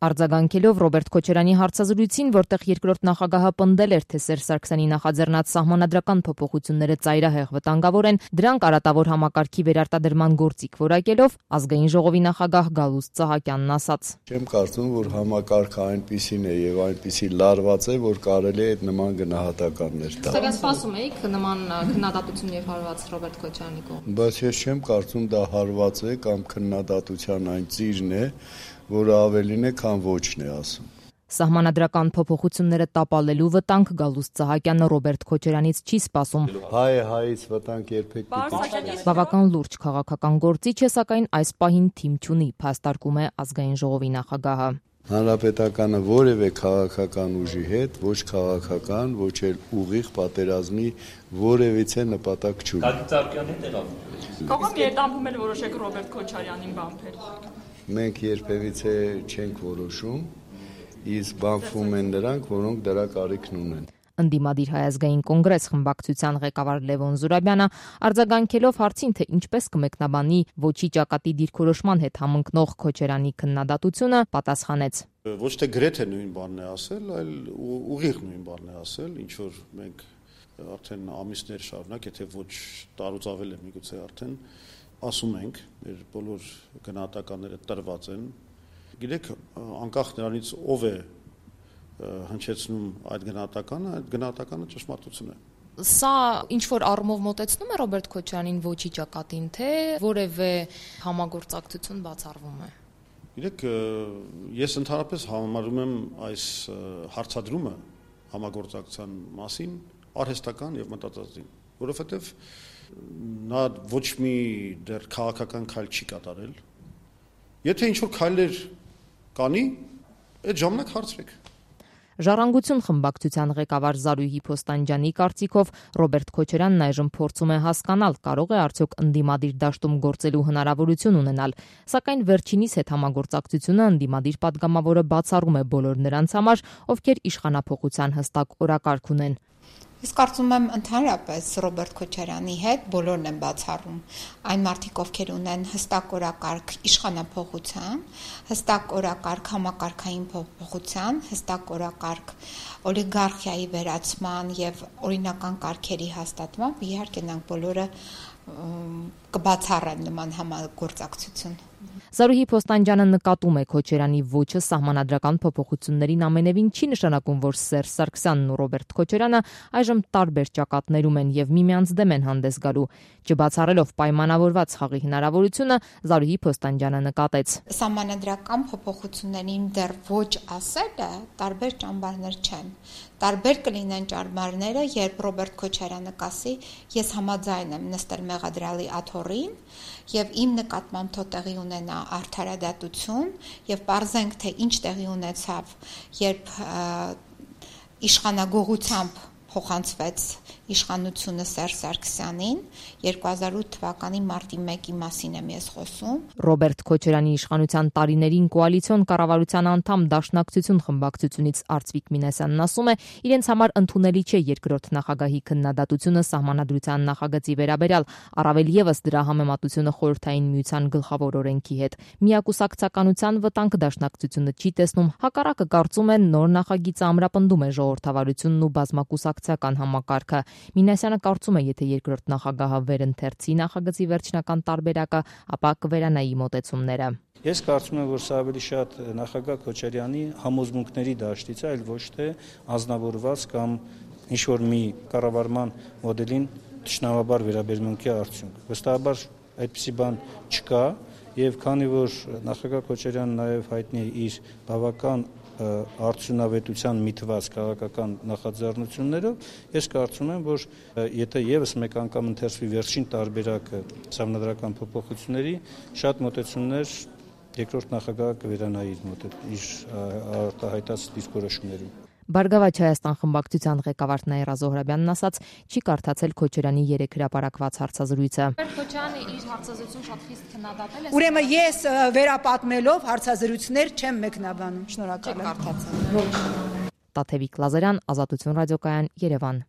Արձագանքելով Ռոբերտ Քոչարյանի հարցազրույցին, որտեղ երկրորդ նախագահը պնդել էր, թե Սերժ Սարգսյանի նախաձեռնած սահմանադրական փոփոխությունները ծայրահեղ վտանգավոր են, դրանք արատավոր համակարգի վերարտադրման գործիք որակելով, Ազգային ժողովի նախագահ Գալուստ Սահակյանն ասաց. Չեմ կարծում, որ համակարգը այնպիսին է եւ այնպիսի լարված է, որ կարելի է այդ նման գնահատականներ տալ։ Սակայն սպասում էիք նման քննադատություն եւ հարված Ռոբերտ Քոչարյանի կողմից։ Բայց ես չեմ կարծում դա հարված է կամ քննադատության այն ծիրն է, որը ավելին է, քան ոչն է ասում։ Սահմանադրական փոփոխությունները տապալելու վտանգ Գալուստ Սահակյանը Ռոբերտ Քոչարյանից չի սպասում։ Հայ հայից վտանգ երբեք չի։ Բավական լուրջ քաղաքական գործիչ է, սակայն այս պահին թիմ չունի, փաստարկում է Ազգային ժողովի նախագահը։ Հանրապետականը որևէ քաղաքական ուժի հետ, ոչ քաղաքական, ոչ էլ ուղիղ պատերազմի որևիցե նպատակ չունի։ Կակիցարկյանի տեղավորում։ Կողմ երդամփում էլ որոշեք Ռոբերտ Քոչարյանին բանտել։ Մենք երբևիցե չենք որոշում, իսկ բանվում են նրանք, որոնք դրա կարիքն ունեն։ Ընդդիմադիր Հայ ազգային կոնգրես խմբակցության ղեկավար Լևոն Զուրաբյանը արձագանքելով հարցին, թե ինչպես կմեկնաբանի ոչի ճակատի դիրքորոշման հետ համընկնող Քոչարյանի քննադատությունը, պատասխանեց. Ոչ թե գրեթե նույն բանն է ասել, այլ ուղիղ նույն բանն է ասել, ինչ որ մենք արդեն ամիսներ շարունակ, եթե ոչ տարուց ավել է միգուցե արդեն ասում ենք, մեր բոլոր գնահատականները տրված են։ Գիտեք, անկախ նրանից ով է հնչեցնում այդ գնահատականը ճշմարտություն է։ Սա ինչ որ առումով մոտեցնում է Ռոբերտ Քոչարյանին ոչի ճակատին, թե որևէ համագործակցություն բացառվում է։ Գիտեք, ես ընդհանրապես համարում եմ այս հարցադրումը համագործակցության մասին արհեստական եւ մտածածին, որովհետեւ նա ոչ մի դեռ քաղաքական քայլ չի կատարել։ Եթե ինչ որ քայլեր կանի, այդ ժամանակ հարցրեք։ Ժառանգություն խմբակցության ղեկավար Զարուհի Փոստանջյանի կարծիքով Ռոբերտ Քոչարյանն այժմ փորձում է հասկանալ, կարող է արդյոք ընդդիմադիր դաշտում գործելու հնարավորություն ունենալ, սակայն վերջինիս հետ համագործակցությունը ընդդիմադիր падգամավորը բացառում է բոլոր նրանց համար, ովքեր իշխանափոխության հստակ օրակարգ ունեն։ Ես կարծում եմ ընդհանրապես Ռոբերտ Քոչարյանի հետ բոլորն են բացառում այն մարդիկ, ովքեր ունեն հստակ օրակարգ իշխանափոխության, հստակ օրակարգ համակարգային փոփոխության, հստակ օրակարգ օլիգարխիայի վերացման եւ օրինական կարգերի հաստատման, իհարկե նրանք բոլորը կբացառեն նման համագործակցություն։ Զարուհի Փոստանջյանը նկատում է Քոչարյանի ոչը սահմանադրական փոփոխություններին ամենևին չի նշանակում, որ Սերժ Սարգսյանն ու Ռոբերտ Քոչարյանը այժմ տարբեր ճակատներում են եւ միմյանց դեմ են հանդես գալու։ Չբացառելով պայմանավորված խաղի հնարավորությունը, Զարուհի Փոստանջյանը նկատեց. Սահմանադրական փոփոխություններին դեռ ոչ ասելը տարբեր ճամբարներ չեն։ Տարբեր կլինեն ճամբարները, երբ Ռոբերտ Քոչարյանը կասի, ես համաձայն եմ նստել մեղադրյալի աթոռին եւ իմ նկատմամբ թող տեղի ունենա արդարադատություն եւ պարզենք, թե ինչ տեղի ունեցավ, երբ իշխանագողությամբ փոխանցվեց իշխանությունը Սերժ Սարգսյանին 2008 թվականի մարտի 1-ի մասին եմ ես խոսում։ Ռոբերտ Քոչարյանի իշխանության տարիներին կոալիցիոն կառավարության անդամ Դաշնակցություն խմբակցությունից Արծվիկ Մինասյանն ասում է, իրենց համար ընդունելի չէ երկրորդ նախագահի քննադատությունը սահմանադրության նախագծի վերաբերյալ, առավել եւս դրա համեմատությունը խորհրդային միության գլխավոր օրենքի հետ։ Միակուսակցականության վտանգ Դաշնակցությունը չի տեսնում, հակառակը կարծում են նոր նախագիծը ամրապնդում է ժողովրդավարությունն ու բազմակուսակցական համակարգը։ Մինասյանը կարծում է, եթե երկրորդ նախագահը վերընթերցի նախագծի վերջնական տարբերակը, ապա կվերանայի մոտեցումները։ Ես կարծում եմ, որ սա ավելի շատ նախագահ Քոչարյանի համոզմունքների դաշտից է, այլ ոչ թե անձնավորված կամ ինչ-որ մի կառավարման մոդելին թշնամաբար վերաբերմունքի արդյունք։ Վստահաբար այդպիսի բան չկա, եւ քանի որ նախագահ Քոչարյանն նաեւ հայտնի է իր բավական արդյունավետության միտված քաղաքական նախաձեռնություններով, ես կարծում եմ, որ եթե եւս մեկ անգամ ընթերցվի վերջին տարբերակը սահմանադրական փոփոխությունների, շատ մոտեցումներ երկրորդ նախագահը կվերանայի իր արտահայտած դիրքորոշումներում։ Բարգավաճ Հայաստան խմբակցության ղեկավար Նաիրա Զոհրաբյանն ասաց, չի կարդացել Քոչարյանի երեք հրապարակված հարցազրույցը։ Քոչարյանը իր հարցազրույցում շատ խիստ քննադատել է։ Ուրեմն ես վերապատմելով հարցազրույցներ չեմ մեկնաբանում։ Շնորհակալ եմ։ Տաթևիկ Լազարյան, Ազատություն ռադիոկայան, Երևան։